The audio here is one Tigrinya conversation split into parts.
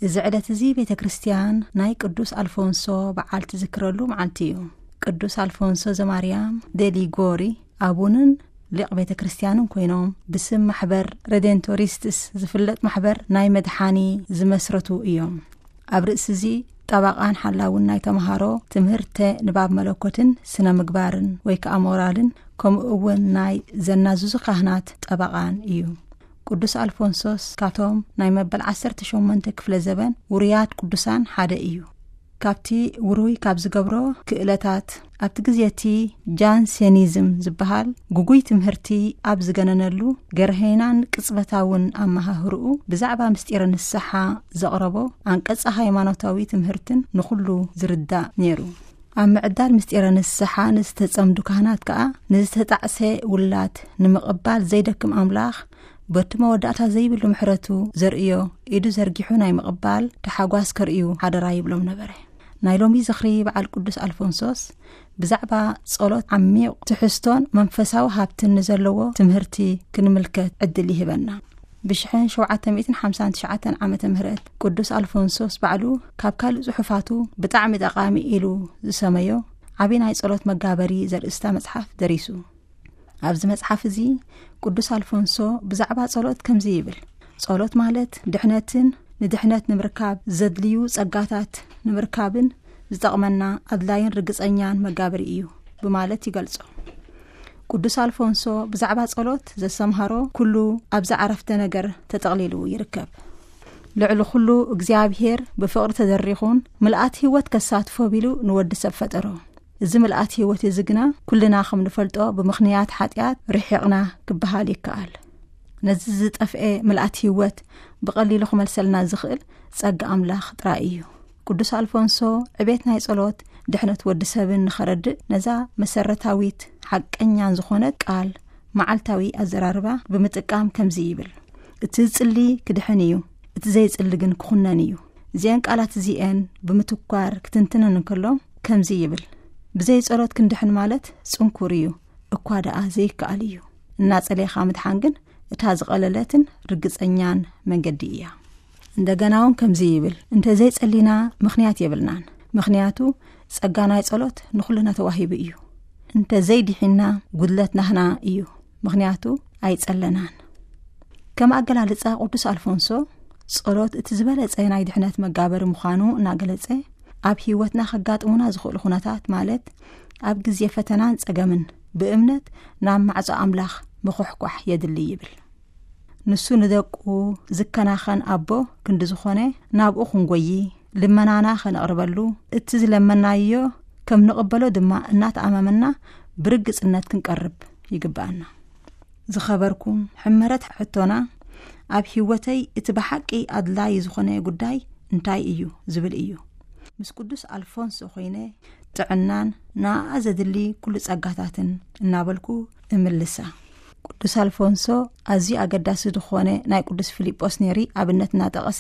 እዚ ዕለት እዚ ቤተ ክርስቲያን ናይ ቅዱስ ኣልፎንሶ በዓል ትዝክረሉ መዓልቲ እዩ። ቅዱስ ኣልፎንሶ ዘማርያም ደሊጎሪ ኣቡንን ሊቕ ቤተ ክርስቲያንን ኮይኖም፣ ብስም ማሕበር ሬዴንቶሪስትስ ዝፍለጥ ማሕበር ናይ መድሓኒ ዝመስረቱ እዮም። ኣብ ርእሲ እዚ፣ ጠባቓን ሓላውን ናይ ተምሃሮ ትምህርተ ንባብ መለኮትን ስነ ምግባርን ወይ ከኣ ሞራልን፣ ከምኡ እውን ናይ ዘናዝዙ ካህናት ጠባቓን እዩ። ቅዱስ ኣልፎንሶስ ካቶም ናይ መበል ዓሰርተ ሸሞንተ ክፍለ ዘበን ውሩያት ቅዱሳን ሓደ እዩ። ካብቲ ውሩይ ካብ ዝገብሮ ክእለታት፣ ኣብቲ ግዜ እቲ ጃንሴኒዝም ዝበሃል ግጉይ ትምህርቲ ኣብ ዝገነነሉ፣ ገርሀይናን ቅጽበታውን ኣመሃህርኡ ብዛዕባ ምስጢረ ንስሓ ዘቕረቦ ኣንቀጸ ሃይማኖታዊ ትምህርትን ንኹሉ ዝርዳእ ነይሩ። ኣብ ምዕዳል ምስጢረ ንስሓ ንዝተጸምዱ ካህናት ከኣ፣ ንዝተጣዕሰ ውላድ ንምቕባል ዘይደክም ኣምላኽ፣ በቲ መወዳእታ ዘይብሉ ምሕረቱ ዘርእዮ ኢዱ ዘርጊሑ ናይ ምቕባል ተሓጓስ ከርእዩ ሓደራ ይብሎም ነበረ። ናይ ሎሚ ዝኽሪ በዓል ቅዱስ ኣልፎንሶስ ብዛዕባ ጸሎት ዓሚቕ ትሕዝቶን መንፈሳዊ ሃብትን ንዘለዎ ትምህርቲ ክንምልከት ዕድል ይህበና። ብ ሸውዓተ ሚእትን ሓምሳን ትሽዓተን ዓመተ ምህረት ቅዱስ ኣልፎንሶስ ባዕሉ ካብ ካልእ ጽሑፋቱ ብጣዕሚ ጠቓሚ ኢሉ ዝሰመዮ ዓቢ ናይ ጸሎት መጋበሪ ዘርእስታ መጽሓፍ ደሪሱ። ኣብዚ መጽሓፍ እዚ ቅዱስ ኣልፎንሶ ብዛዕባ ጸሎት ከምዚ ይብል፣ "ጸሎት ማለት ድሕነትን ንድሕነት ንምርካብ ዘድልዩ ጸጋታት ንምርካብን ዝጠቕመና ኣድላይን ርግጸኛን መጋበሪ እዩ" ብማለት ይገልጾ። ቅዱስ ኣልፎንሶ ብዛዕባ ጸሎት ዘሰምሃሮ ኩሉ ኣብዛ ዓረፍተ ነገር ተጠቕሊሉ ይርከብ። ልዕሊ ኩሉ እግዚኣብሔር ብፍቕሪ ተደሪኹን ምልኣት ህይወት ከሳትፎ ቢሉ ንወዲ ሰብ ፈጠሮ። እዚ ምልኣት ህይወት እዚ ግና ኩልና ከም ንፈልጦ ብምኽንያት ሓጢኣት ርሒቕና ክበሃል ይከኣል። ነዚ ዝጠፍኤ ምልኣት ህይወት ብቐሊሉ ክመልሰልና ዝኽእል ጸጋ ኣምላኽ ጥራይ እዩ። ቅዱስ ኣልፎንሶ ዕቤት ናይ ጸሎት ድሕነት ወዲ ሰብን ንኸረድእ ነዛ መሰረታዊት ሓቀኛን ዝኾነት ቃል መዓልታዊ ኣዘራርባ ብምጥቃም ከምዚ ይብል፣ "እቲ ዝጽሊ ክድሕን እዩ፣ እቲ ዘይጽሊ ግን ክኹነን እዩ።" እዚአን ቃላት እዚአን ብምትኳር ክትንትነን እንከሎ ከምዚ ይብል፣ "ብዘይ ጸሎት ክንድሕን ማለት ጽንኩር እዩ፣ እኳ ደኣ ዘይከኣል እዩ። እናጸሌኻ ምድሓን ግን እታ ዝቐለለትን ርግጸኛን መንገዲ እያ።" እንደገና እውን ከምዚ ይብል፣ "እንተ ዘይጸሊና ምኽንያት የብልናን፣ ምኽንያቱ ጸጋ ናይ ጸሎት ንኹልና ተዋሂቡ እዩ። እንተ ዘይድሒና ጉድለት ናህና እዩ፣ ምኽንያቱ ኣይጸለናን።" ከም ኣገላልጻ ቅዱስ ኣልፎንሶ፣ ጸሎት እቲ ዝበለጸ ናይ ድሕነት መጋበሪ ምዃኑ እናገለጸ፣ ኣብ ህይወትና ከጋጥሙና ዝኽእሉ ኩነታት፣ ማለት ኣብ ግዜ ፈተናን ጸገምን፣ ብእምነት ናብ ማዕጾ ኣምላኽ ምኹሕኳሕ የድሊ ይብል። ንሱ ንደቁ ዝከናኸን ኣቦ ክንዲ ዝኾነ፣ ናብኡ ክንጎዪ፣ ልመናና ከነቕርበሉ፣ እቲ ዝለመናዮ ከም ንቕበሎ ድማ እናተኣማመና ብርግጽነት ክንቀርብ ይግብኣና። ዝኸበርኩም፣ ሕመረት ሕቶና፣ "ኣብ ህይወተይ እቲ ብሓቂ ኣድላዪ ዝኾነ ጉዳይ እንታይ እዩ?" ዝብል እዩ። ምስ ቅዱስ ኣልፎንሶ ኮይነ ጥዕናን ንኣኣ ዘድሊ ኩሉ ጸጋታትን እናበልኩ እምልሳ። ቅዱስ ኣልፎንሶ ኣዝዩ ኣገዳሲ ዝኾነ ናይ ቅዱስ ፊልጶስ ኔሪ ኣብነት እናጠቐሰ፣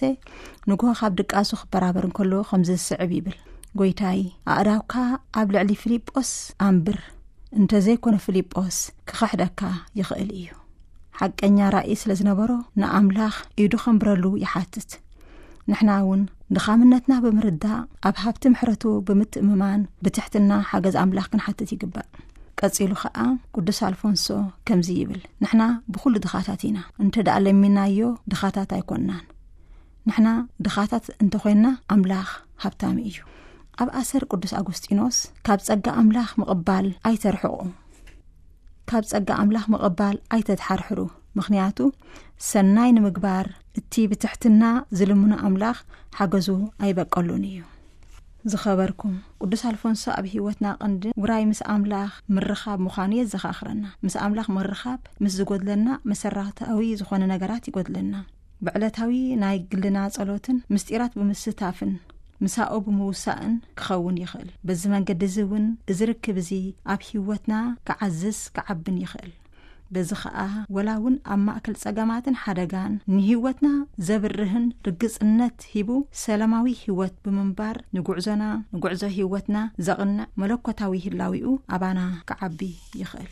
ንግሆ ካብ ድቃሱ ክበራበር እንከሎ ከምዚ ዝስዕብ ይብል፣ "ጎይታይ፣ ኣእዳውካ ኣብ ልዕሊ ፊልጶስ ኣንብር፣ እንተ ዘይኮነ ፊልጶስ ክኽሕደካ ይኽእል እዩ።" ሓቀኛ ራእይ ስለ ዝነበሮ ንኣምላኽ ኢዱ ከንብረሉ ይሓትት። ንሕና እውን ድኻምነትና ብምርዳእ፣ ኣብ ሃብቲ ምሕረቱ ብምትእምማን፣ ብትሕትና ሓገዝ ኣምላኽ ክንሓትት ይግባእ። ቀጺሉ ኸኣ ቅዱስ ኣልፎንሶ ከምዚ ይብል፣ "ንሕና ብኹሉ ድኻታት ኢና፣ እንተ ደኣ ለሚናዮ ድኻታት ኣይኮንናን። ንሕና ድኻታት እንተኾይንና፣ ኣምላኽ ሃብታም እዩ።" ኣብ ኣሰር ቅዱስ ኣጉስጢኖስ፣ "ካብ ጸጋ ኣምላኽ ምቕባል ኣይተርሕቑ፣ ካብ ጸጋ ኣምላኽ ምቕባል ኣይተድሓርሕሩ፣ ምኽንያቱ ሰናይ ንምግባር እቲ ብትሕትና ዝልምኖ ኣምላኽ ሓገዙ ኣይበቀሉን እዩ።" ዝኸበርኩም፣ ቅዱስ ኣልፎንሶ ኣብ ህይወትና ቀንዲ ውራይ ምስ ኣምላኽ ምርኻብ ምዃኑ የዘኻኽረና። ምስ ኣምላኽ ምርኻብ ምስ ዝጎድለና፣ መሰረታዊ ዝኾነ ነገራት ይጎድለና። ብዕለታዊ ናይ ግልና ጸሎትን ምስጢራት ብምስታፍን ምሳኡ ብምውሳእን ክኸውን ይኽእል። በዚ መንገዲ እዚ እውን እዚ ርክብ እዚ ኣብ ህይወትና ክዓዝዝ ክዓብን ይኽእል። በዚ ኸኣ ወላ እውን ኣብ ማእከል ጸገማትን ሓደጋን ንህይወትና ዘብርህን ርግጽነት ሂቡ ሰላማዊ ህይወት ብምንባር ንጉዕዞና፣ ንጉዕዞ ህይወትና ዘቕንዕ መለኮታዊ ህላዊኡ ኣባና ክዓቢ ይኽእል።